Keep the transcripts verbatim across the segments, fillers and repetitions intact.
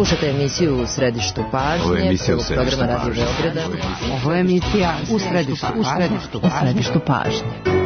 Slušajte emisiju U središtu pažnje, programa Radio Beograda. Ovo je emisija U središtu, u središtu, u središtu pažnje.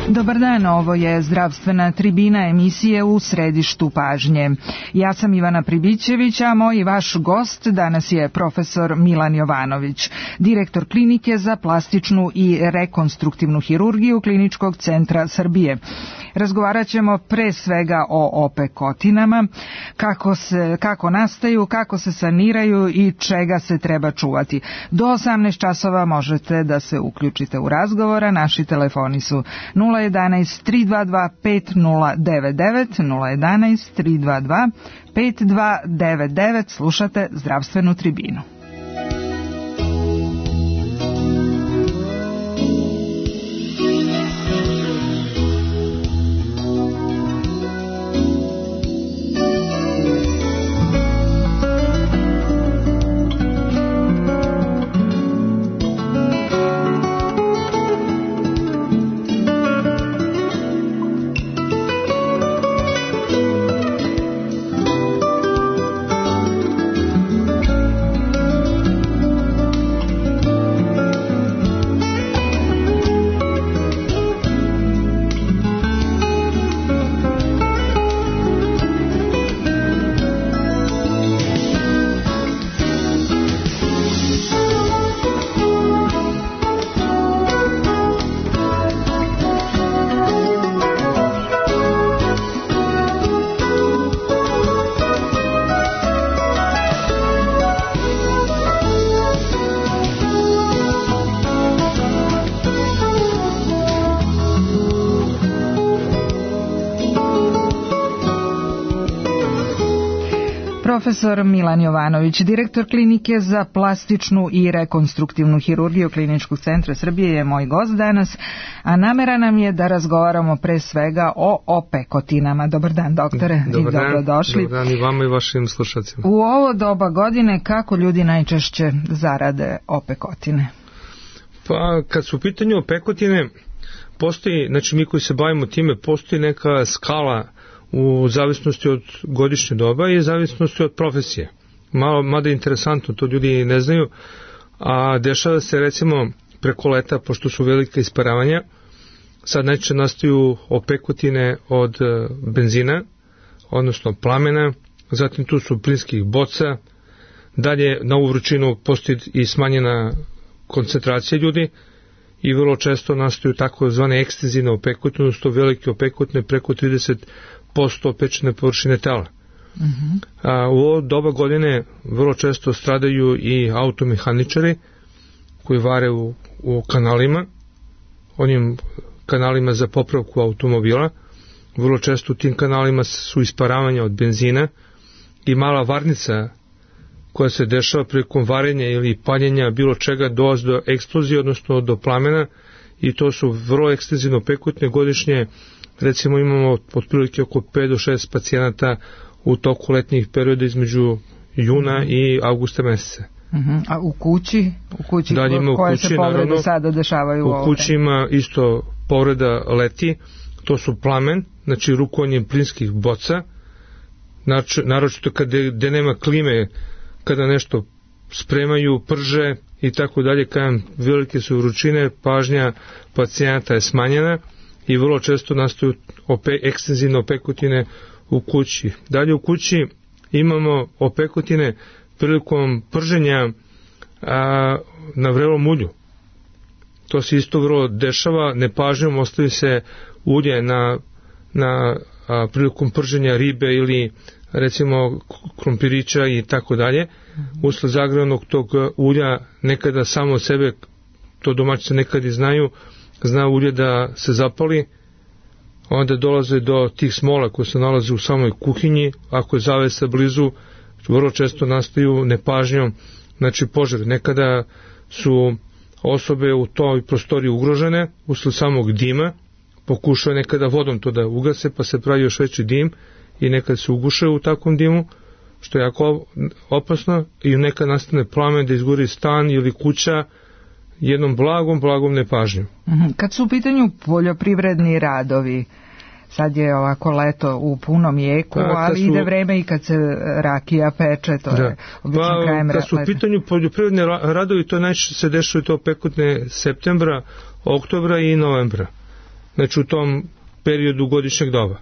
Dobar dan, ovo je zdravstvena tribina emisije U središtu pažnje. Ja sam Ivana Pribićević, a moj i vaš gost danas je profesor Milan Jovanović, direktor klinike za plastičnu i rekonstruktivnu hirurgiju Kliničkog centra Srbije. Razgovarat ćemo pre svega o opekotinama, kako, se, kako nastaju, kako se saniraju i čega se treba čuvati. Do osamnaest časova možete da se uključite u razgovor, a naši telefoni su nula jedanaest tri dva dva pet nula devet devet, nula jedanaest tri dva dva pet dva devet devet. Slušate zdravstvenu tribinu. Profesor Milan Jovanović, direktor klinike za plastičnu i rekonstruktivnu hirurgiju Kliničkog centra Srbije, je moj gost danas, a namera nam je da razgovaramo pre svega o opekotinama. Dobar dan, doktore, dobar i dobrodošli. Dobar dan i vama i vašim slušacima. U ovo doba godine kako ljudi najčešće zarade opekotine? Pa kad su u pitanju opekotine, postoji, znači mi koji se bavimo time, postoji neka skala u zavisnosti od godišnje doba i zavisnosti od profesije. Malo, mada je interesantno, to ljudi ne znaju, a dešava se recimo preko leta, pošto su velika isparavanja, sad najčešće nastaju opekotine od benzina, odnosno plamena, zatim tu su plinskih boca, dalje na ovu vrućinu postoji i smanjena koncentracija ljudi i vrlo često nastaju tako zvane ekstenzivne opekotine, odnosno velike opekotine preko trideset posto opečene površine tela. Uh-huh. A, u ovo doba godine vrlo često stradaju i automehaničari koji vare u, u kanalima, onim kanalima za popravku automobila. Vrlo često u tim kanalima su isparavanja od benzina i mala varnica koja se dešava prilikom varenja ili paljenja bilo čega dolazi do eksplozije, odnosno do plamena, i to su vrlo ekstenzivno opekotine. Godišnje recimo imamo otprilike oko pet do šest pacijenata u toku letnjih perioda između juna i avgusta meseca. Uh-huh. A u kući? U kući, da, ima u koje kući, se povrede naravno, sada dešavaju? U kući ima isto povreda leti, to su plamen, znači rukovanje plinskih boca, naročito kada gde nema klime, kada nešto spremaju, prže i tako dalje, kada velike su vrućine, pažnja pacijenata je smanjena i vrlo često nastaju ope, ekstenzivne opekotine u kući. Dalje u kući imamo opekotine prilikom prženja a, na vrelom ulju. To se isto vrlo dešava, nepažnjom ostavi se ulje na, na a, prilikom prženja ribe ili recimo krompirića i tako dalje, usled zagrevanog tog ulja nekada samo od sebe, to domaćice nekad i znaju, zna ulje da se zapali, onda dolaze do tih smola koje se nalaze u samoj kuhinji, ako je zavesa blizu, vrlo često nastaju nepažnjom, znači požar. Nekada su osobe u toj prostoriji ugrožene usled samog dima, pokušaju nekada vodom to da ugase, pa se pravi još veći dim i nekad se uguše u takvom dimu, što je jako opasno, i nekad nastane plamen da izgori stan ili kuća jednom blagom, blagom nepažnjom. Kad su u pitanju poljoprivredni radovi, sad je ovako leto u punom jeku, A, ali su, ide vreme i kad se rakija peče, to da. je obično pa, krajem leta. Kad su u pitanju poljoprivredni radovi, to najčešće se dešava to pekotne septembra, oktobra i novembra. Znači u tom periodu godišnjeg doba.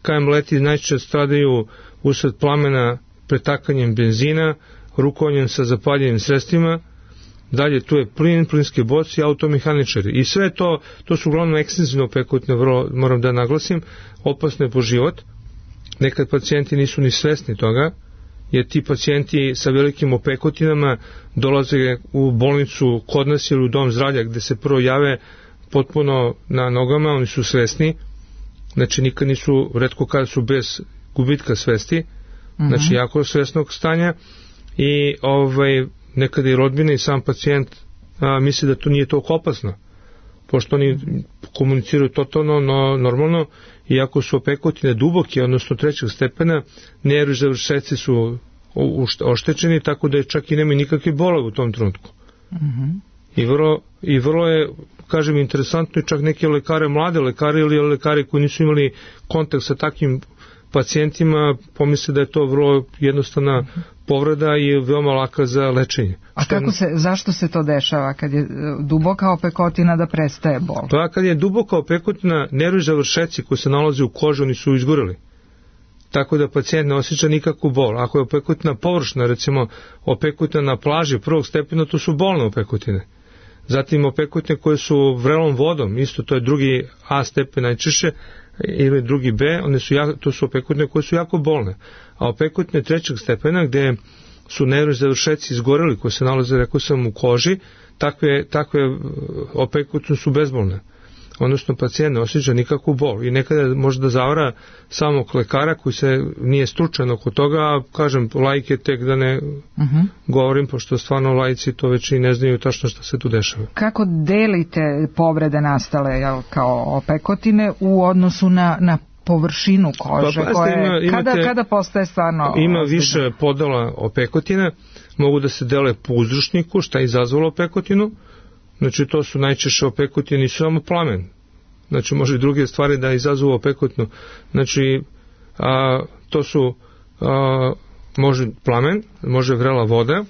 Kajem leti najčešće stradaju usled plamena pretakanjem benzina, rukovanjem sa zapaljenim sredstvima, dalje tu je plin, plinske boce i automehaničari. I sve to, to su uglavnom ekstenzivno pekotne, vrlo, moram da naglasim, opasne po život. Nekad pacijenti nisu ni svesni toga, jer ti pacijenti sa velikim opekotinama dolaze u bolnicu kod nas ili u dom zdravlja, gde se prvo jave potpuno na nogama, oni su svesni, znači nikad nisu, retko kada su bez gubitka svesti, znači uh-huh. jako svesnog stanja, i ovaj, nekada i rodbina i sam pacijent a, misli da to nije toliko opasno, pošto oni komuniciraju totalno no, normalno, iako su opekotine duboke, odnosno trećeg stepena, nervni završeci su oštećeni, tako da je čak i nema nikakve bole u tom trenutku. Uh-huh. I vrlo, i vrlo je, kažem, interesantno, i čak neke lekare, mlade lekare ili lekari koji nisu imali kontakt sa takvim pacijentima, pomisle da je to vrlo jednostavna povreda i veoma laka za lečenje. A kako se, zašto se to dešava kad je duboka opekotina da prestaje bol? Pa kad je duboka opekotina, nervni završeci koji se nalaze u koži, oni su izgoreli. Tako da pacijent ne osjeća nikakvu bol. Ako je opekotina površna, recimo opekotina na plaži prvog stepena, to su bolne opekotine. Zatim opekotine koje su vrelom vodom, isto to je drugi A stepen najčešće, ili drugi B, one su jako, to su opekotine koje su jako bolne. A opekotine trećeg stepena, gde su nervni završeci izgoreli, koji se nalaze, rekao sam, u koži, takve, takve opekotine su bezbolne. Odnosno pacijent ne osjeća nikakvu bol i nekada može da zavara samog lekara koji se nije stručan oko toga, a kažem, laike tek da ne uh-huh. govorim, pošto stvarno laici to već i ne znaju tačno šta se tu dešava. Kako delite povrede nastale jel, kao opekotine u odnosu na, na površinu kože? Pa, koje, ima, imate, kada, kada postaje stvarno... Ima ozbiljno? Više podela opekotina, mogu da se dele po uzročniku, šta je izazvalo opekotinu. Znači to su najčešće opekotine, nisu samo plamen. Znači može i druge stvari da izazovu opekotinu. Znači a, to su a, može plamen, može vrela voda,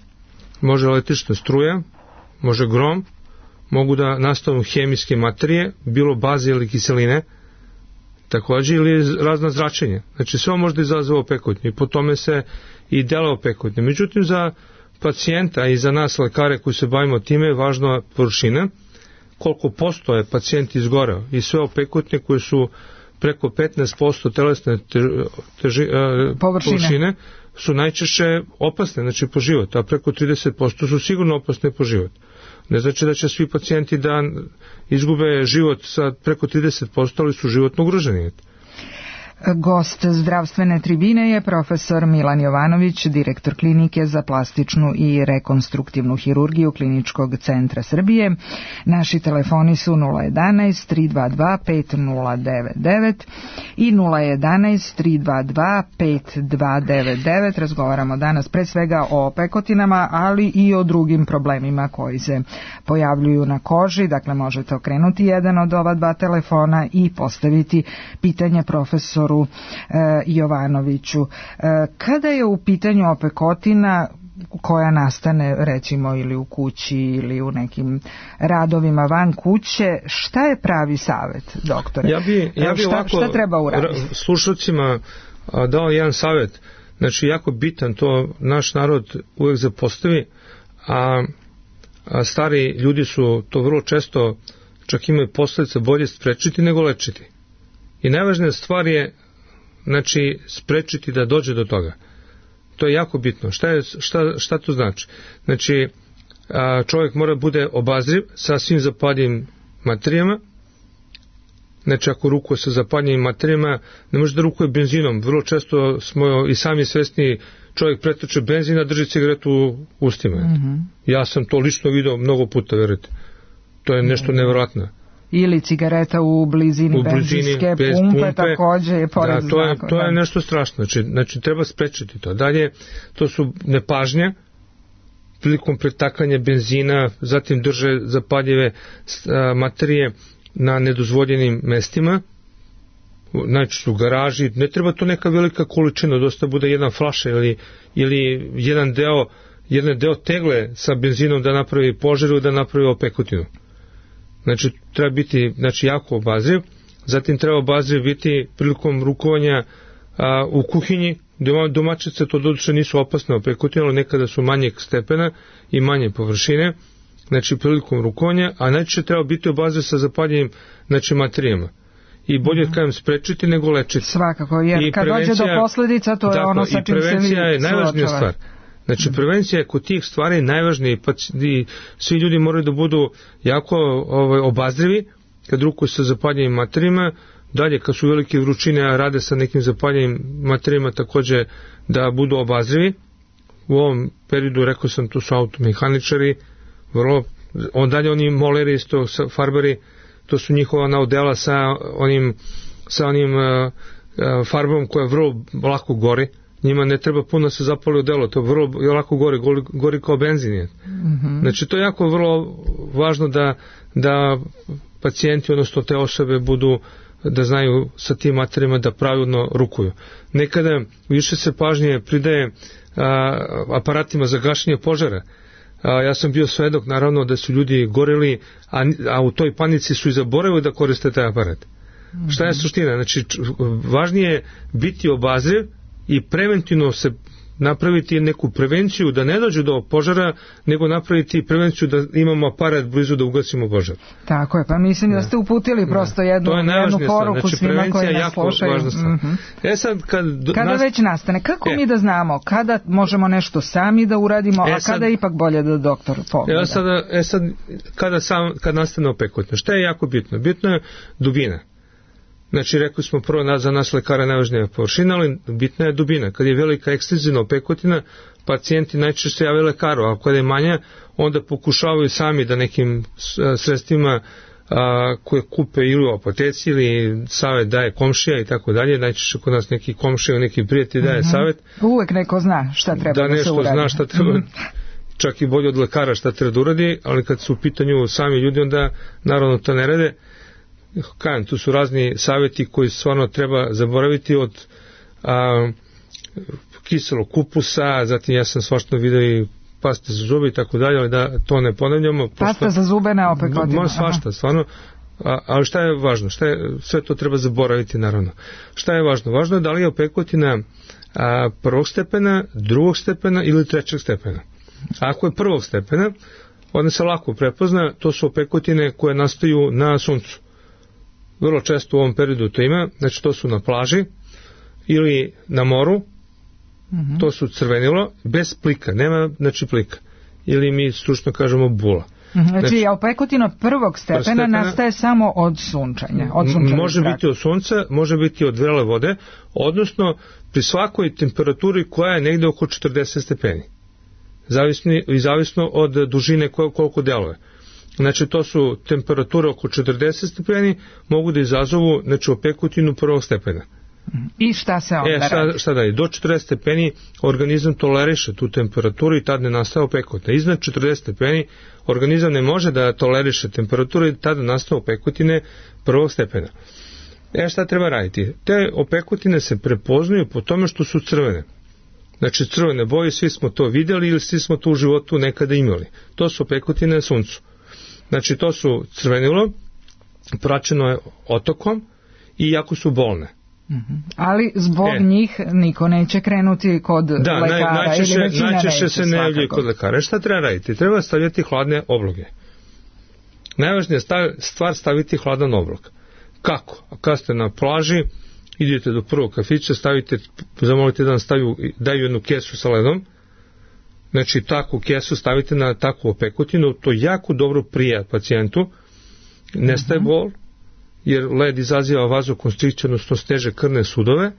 može električna struja, može grom, mogu da nastanu hemijske materije, bilo baze ili kiseline, takođe ili razna zračenja. Znači sve može da izazove opekotinu i po tome se i dele opekotine. Međutim za pacijenta i za nas lekare koji se bavimo time je važna površina, koliko posto je pacijent izgoreo i sve opekotine koje su preko petnaest posto telesne teži, uh, površine. površine su najčešće opasne, znači po život, a preko trideset posto su sigurno opasne po život. Ne znači da će svi pacijenti da izgube život sa preko trideset posto, ali su životno ugroženi. Gost zdravstvene tribine je profesor Milan Jovanović, direktor klinike za plastičnu i rekonstruktivnu hirurgiju Kliničkog centra Srbije. Naši telefoni su nula jedanaest tri dva dva pet nula devet devet i nula jedanaest tri dva dva pet dva devet devet. Razgovaramo danas pre svega o opekotinama, ali i o drugim problemima koji se pojavljuju na koži. Dakle, možete okrenuti jedan od ova dva telefona i postaviti pitanje profesoru Jovanoviću. Kada je u pitanju opekotina koja nastane recimo ili u kući ili u nekim radovima van kuće, šta je pravi savjet, doktore? Ja bi, ja bi šta, ovako šta treba uraditi? Slušalcima dao jedan savjet, znači jako bitan, to naš narod uvek zapostavi, a, a stari ljudi su to vrlo često, čak imaju posljedice bolje sprečiti nego lečiti. I najvažnija stvar je znači, sprečiti da dođe do toga. To je jako bitno. Šta, je, šta, šta to znači? Znači, a, čovjek mora bude obazriv sa svim zapaljivim materijama. Znači, ako rukuje sa zapaljivim materijama, ne može da rukuje benzinom. Vrlo često smo i sami svesni, čovjek pretoče benzin, a drži cigaretu u ustima. Mm-hmm. Ja sam to lično video mnogo puta, verujte. To je nešto nevjerojatno. Ili cigareta u blizini, u blizini benzinske pumpe, pumpe, također je pored da, to je, znaka. To je nešto strašno. Znači, znači, treba sprečiti to. Dalje, to su nepažnja prilikom pretakanja benzina, zatim drže zapaljive a, materije na nedozvoljenim mestima, znači u garaži. Ne treba to neka velika količina, dosta bude jedna flaša ili, ili jedan deo jedan deo tegle sa benzinom da napravi požar ili da napravi opekotinu. Znači, treba biti, znači, jako obazriv. Zatim treba obazriv biti prilikom rukovanja a, u kuhinji. Domaćice to doduše nisu opasne opekotine, ali nekada su manjeg stepena i manje površine. Znači, prilikom rukovanja, a najčešće treba biti obazriv sa zapaljivim, znači, materijama. I bolje, mm-hmm. kajem, sprečiti nego lečiti. Svakako, jer kad dođe do posljedica, to je dakle, ono sa čim se vi prevencija je najvažnija stvar. Znači, mm-hmm. prevencija je kod tih stvari najvažnija, pa svi ljudi moraju da budu jako ovaj, obazrivi kad rukuju sa zapaljivim materijama. Dalje, kad su velike vrućine, a rade sa nekim zapaljivim materijama, također da budu obazrivi. U ovom periodu, rekao sam, to su automehaničari, vrlo, on dalje oni moleri, isto farbari, to su njihova naudela sa onim, sa onim uh, uh, farbom koja vrlo lako gori. Njima ne treba puno se zapali odelo, to vrlo lako gori, gori, gori kao benzin je. Mm-hmm. Znači, to je jako vrlo važno da, da pacijenti, odnosno te osobe, budu, da znaju sa tim materijama da pravilno rukuju. Nekada više se pažnje pridaje a, aparatima za gašenje požara. A, ja sam bio svedok, naravno, da su ljudi goreli, a, a u toj panici su i zaboravili da koriste taj aparat. Mm-hmm. Šta je suština? Znači, važnije je biti obazriv i preventivno se napraviti neku prevenciju da ne dođe do požara, nego napraviti prevenciju da imamo aparat blizu da ugasimo požar. Tako je, pa mislim da, da ste uputili prosto jednu, jednu poruku znači, svima koji nas slušaju. Mm-hmm. E sad, kad kada nas... već nastane, kako e. mi da znamo kada možemo nešto sami da uradimo, e a kada je ipak bolje da doktor pogleda? E sad, e sad kada, sam, kad nastane opekotina, šta je jako bitno? Bitno je dubina. Znači, rekli smo prvo za nas lekara najvažnija površina, ali bitna je dubina. Kad je velika ekstenzivna opekotina, pacijenti najčešće se jave lekaru, a kada je manja, onda pokušavaju sami da nekim sredstvima a, koje kupe ili u apoteci ili savjet daje komšija i tako dalje. Najčešće kod nas neki komšija, neki prijatelj daje mm-hmm. savjet. Uvek neko zna šta treba da, da se uradi. Da nešto zna šta treba, mm-hmm. čak i bolje od lekara šta treba da uradi, ali kad su u pitanju sami ljudi, onda naravno to ne rade. Kajem, tu su razni savjeti koji stvarno treba zaboraviti od a, kiselog kupusa, zatim ja sam svašta vidio i paste za zube i tako dalje, ali da to ne ponavljamo. Pasta za zube na opekotinu. Svašta, stvarno. A, ali šta je važno? Šta je, sve to treba zaboraviti, naravno. Šta je važno? Važno je da li je opekotina a, prvog stepena, drugog stepena ili trećeg stepena. Ako je prvog stepena, onda se lako prepozna, to su opekotine koje nastaju na suncu. Vrlo često u ovom periodu to ima, znači to su na plaži ili na moru, mm-hmm. to su crvenilo, bez plika, nema znači plika, ili mi stručno kažemo bula. Mm-hmm. Znači, znači opekotina prvog stepena, stepena nastaje samo od sunčanja, od može zraka. Biti od sunca, može biti od vrele vode, odnosno pri svakoj temperaturi koja je negde oko četrdeset stepeni, zavisno, i zavisno od dužine koliko deluje. Znači, to su temperature oko četrdeset stepeni, mogu da izazovu, znači, opekotinu prvog stepena. I šta se onda e, šta, šta da je? Do četrdeset stepeni organizam toleriše tu temperaturu i tad ne nastaje opekotina. Iznad četrdeset stepeni organizam ne može da toleriše temperaturu i tada nastaje opekotine prvog stepena. E, šta treba raditi? Te opekotine se prepoznaju po tome što su crvene. Znači, crvene boje, svi smo to vidjeli ili svi smo to u životu nekada imali. To su opekotine na suncu. Znači, to su crvenilo, praćeno je otokom i jako su bolne. Mm-hmm. Ali zbog e. njih niko neće krenuti kod da, lekara najčešće, ili većina najčešće neće se ne javljaju kod lekara. Šta treba raditi? Treba stavljati hladne obloge. Najvažnija stvar staviti hladan oblog. Kako? Kad ste na plaži idete do prvog kafića, stavite, zamolite da vam staviju, daju jednu kesu sa ledom, znači takvu kesu stavite na takvu opekotinu, to jako dobro prija pacijentu, nestaje uh-huh. bol, jer led izaziva vazokonstrikciju, odnosno steže krvne sudove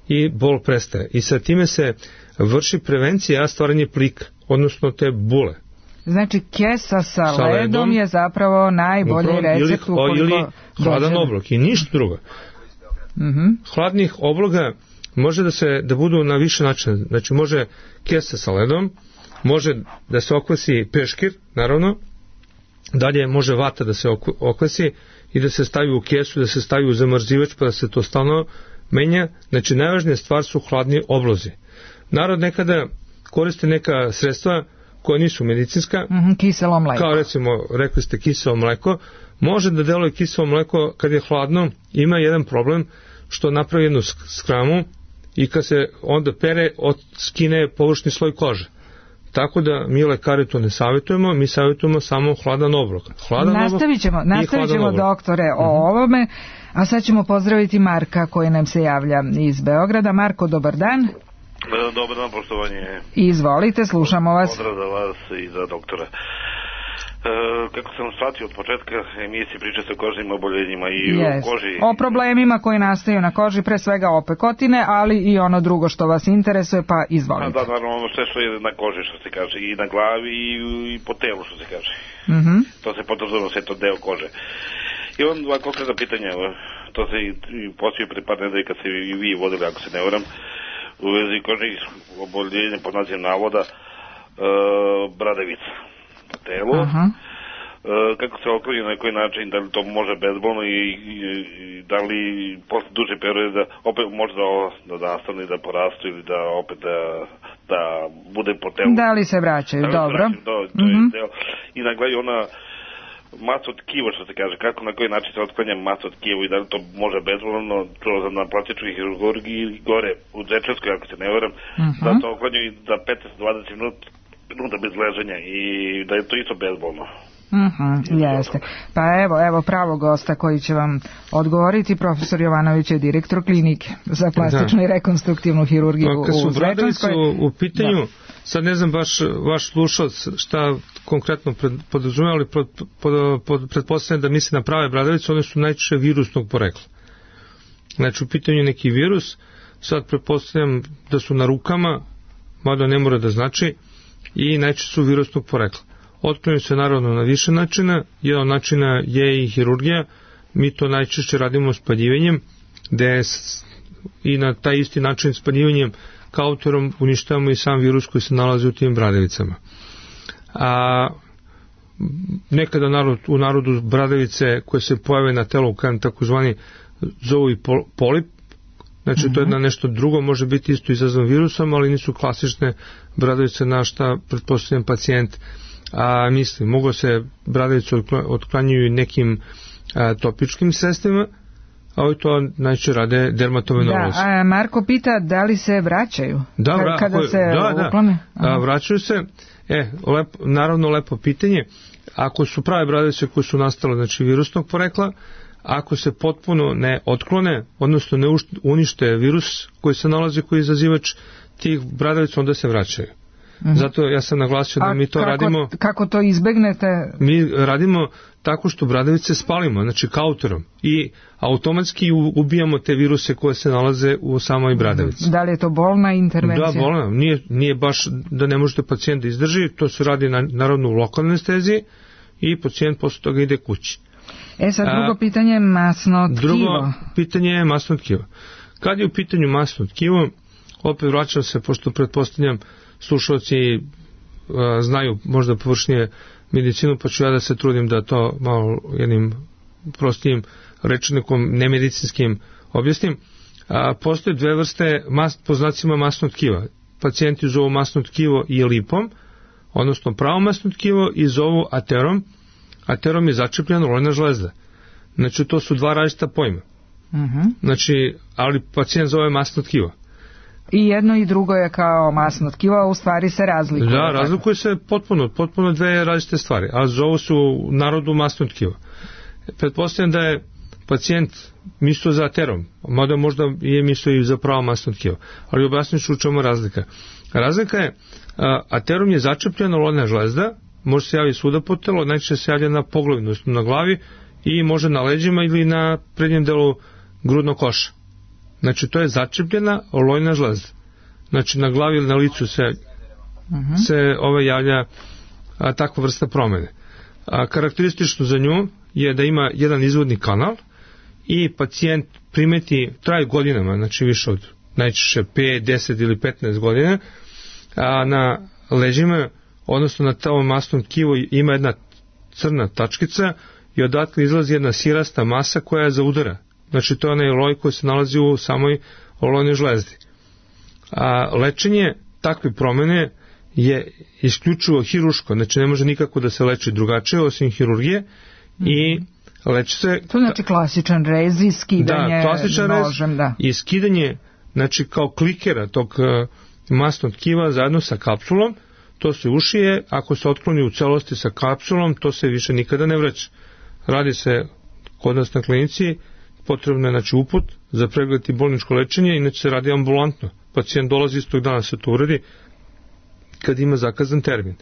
i bol prestaje. I sa time se vrši prevencija stvaranje plika, odnosno te bule. Znači kesa sa, sa ledom, ledom je zapravo najbolji upravo, recept ukoliko ili, ili hladan oblak i ništa drugo. Uh-huh. Hladnih obloga može da se da budu na više načina. Znači može kesa sa ledom, može da se okvasi peškir, naravno, dalje može vata da se okvasi i da se stavi u kesu, da se stavi u zamrzivač pa da se to stalno menja. Znači najvažnija stvar su hladni oblozi. Narod nekada koriste neka sredstva koja nisu medicinska, mm-hmm, kiselo mleko. Kao recimo, rekli ste kiselo mleko, može da deluje kiselo mleko kad je hladno, ima jedan problem što napravi jednu skramu i kad se onda pere, od skine površni sloj kože. Tako da mi lekari to ne savjetujemo, mi savjetujemo samo hladan obrok. Hladan nastavit ćemo, nastavit ćemo doktore o uh-huh. ovome, a sad ćemo pozdraviti Marka koji nam se javlja iz Beograda. Marko, dobar dan. Dobar dan, poštovanje. Izvolite, slušamo vas. Pozdrav za vas i za doktora. E, kako sam shvatio od početka emisije, priča se o kožnim oboljenjima i yes. o koži. O problemima koji nastaju na koži, pre svega opekotine, ali i ono drugo što vas interesuje, pa izvolite. Da, naravno, ono sve što je na koži, što se kaže, i na glavi i, i po telu, što se kaže. Mm-hmm. To se podrazumeva sve to deo kože. I on dva konkretna pitanja, to se i, i poslije pre par nedelja kad se i vi vodili, ako se ne varam, u vezi kožnih oboljenja pod nazivom navoda e, bradavica na telu. Uh-huh. E, kako se okloni, na koji način, da li to može bezbolno i, i, i da li posle duže perioda opet može da, da nastane, da porastu ili da opet da, da bude po telu. Da li se vraćaju, da li dobro. Se vraćaju, do, to uh-huh. je deo. I na kraju ona masa od tkiva, što se kaže, kako, na koji način se otklanja masa od tkiva i da li to može bezbolno, to na plastičnoj hirurgiji gore u Dzečevskoj, ako se ne varam, uh-huh. da to otklanju i da petnaest do dvadeset minuta bez leženja i da je to isto bezbolno. Mhm, jeste. Pa evo, evo pravo gosta koji će vam odgovoriti. Profesor Jovanović je direktor klinike za plastičnu da. i rekonstruktivnu hirurgiju pa, u Zvečanskoj. U, u pitanju, da. sad ne znam baš vaš slušalac šta konkretno podrazumeva, ali pod, pod, pod, pretpostavljam da misli na prave bradavice, one su najčešće virusnog porekla. Znači u pitanju neki virus, sad pretpostavljam da su na rukama, mada ne mora da znači, i najčešće su virusnog porekla. Otklanjaju se naravno na više načina, jedan od načina je i hirurgija, mi to najčešće radimo spaljivanjem, gde i na taj isti način spaljivanjem kauterom uništavamo i sam virus koji se nalazi u tim bradavicama. A nekada narod, u narodu bradavice koje se pojave na telu kao takozvani zovu i polip, znači mm-hmm. to je na nešto drugo, može biti isto izazvan virusom, ali nisu klasične bradavice na šta pretpostavljam pacijent a misli. Mogu se bradavice otklanjuju nekim a, topičkim sredstvima, a ovo to najčešće rade dermatovenolozi. Da, a Marko pita da li se vraćaju da, vra, kada se da, uklone? Da, a, vraćaju se, e, lep, naravno lepo pitanje, ako su prave bradavice koje su nastale, znači virusnog porekla, ako se potpuno ne otklone, odnosno ne unište virus koji se nalazi, koji je izazivač tih bradavica, onda se vraćaju. Mm-hmm. Zato ja sam naglasio da a mi to kako, radimo... Kako to izbegnete? Mi radimo tako što bradavice spalimo, znači kauterom, i automatski ubijamo te viruse koje se nalaze u samoj bradavici. Da li je to bolna intervencija? Da, bolna. Nije, nije baš da ne možete pacijent da izdrži, to se radi na, naravno u lokalnoj anesteziji i pacijent posle toga ide kući. E sad drugo a, pitanje je masno tkivo. Drugo pitanje je masno tkivo. Kad je u pitanju masno tkivo, opet vraćam se, pošto pretpostavljam slušalci a, znaju možda površnije medicinu, pa ću ja da se trudim da to malo jednim prostijim rečnikom nemedicinskim objasnim. A, postoje dve vrste mas, po znacima masnog tkiva. Pacijenti zovu masno tkivo i lipom, odnosno pravo masno tkivo, i zovu aterom. Aterom je začepljena lojna žlezda. Znači to su dva različita pojma. Uh-huh. Znači, ali pacijent zove masno tkivo. I jedno i drugo je kao masno tkivo, a u stvari se razlikuje. Da, razlikuje se potpuno, potpuno dve različite stvari, a zovu su u narodu masno tkivo. Pretpostavljam da je pacijent mislio za aterom, mada možda je mislio i za pravo masno tkivo, ali objasnit ću u čemu razlika. Razlika je, aterom je začepljena lojna žlezda, može se javiti svuda po telu, najčešće se javlja na poglavlju, na glavi i može na leđima ili na prednjem delu grudnog koša. Znači to je začepljena lojna žlezda. Znači na glavi ili na licu se, uh-huh. se ove javlja a, takva vrsta promene. A, karakteristično za nju je da ima jedan izvodni kanal i pacijent primeti, traje godinama, znači više od najčešće pet, deset ili petnaest godina, a na leđima, odnosno na tom masnom tkivu ima jedna crna tačkica i odatle izlazi jedna sirasta masa koja je za udara. Znači to je onaj loj koji se nalazi u samoj lojnoj žlezdi. A lečenje takve promene je isključivo hiruško, znači ne može nikako da se leči drugačije osim hirurgije i leči se... To znači klasičan rez i skidanje da, klasičan nožem, rez da. I skidanje, znači kao klikera tog uh, masnog tkiva zajedno sa kapsulom, to se ušije, ako se otkloni u celosti sa kapsulom, to se više nikada ne vraća. Radi se kod nas na klinici, potrebno je znači uput za pregled i bolničko lečenje, inače se radi ambulantno. Pacijent dolazi istog dana se to uredi kad ima zakazan termin.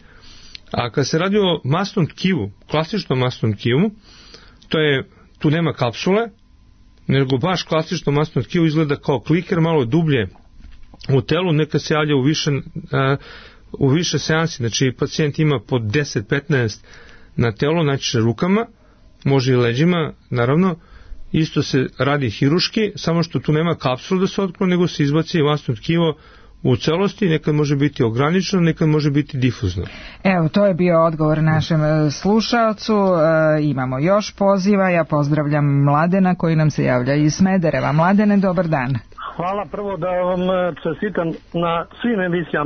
A kad se radi o masnom tkivu, klasičnom masnom tkivu, to je, tu nema kapsule, nego baš klasično masno tkivo izgleda kao kliker, malo dublje u telu, neka se javlja u više, uh, u više seansi, znači pacijent ima po deset do petnaest na telu, znači rukama, može i leđima, naravno, isto se radi hiruški, samo što tu nema kapsula da se otkloni, nego se izbaci masno tkivo u celosti, nekad može biti ograničeno, nekad može biti difuzno. Evo, to je bio odgovor našem slušalcu. E, imamo još poziva. Ja pozdravljam Mladena koji nam se javlja iz Smedereva. Mladene, dobar dan. Hvala prvo da vam čestitam na svim emisijama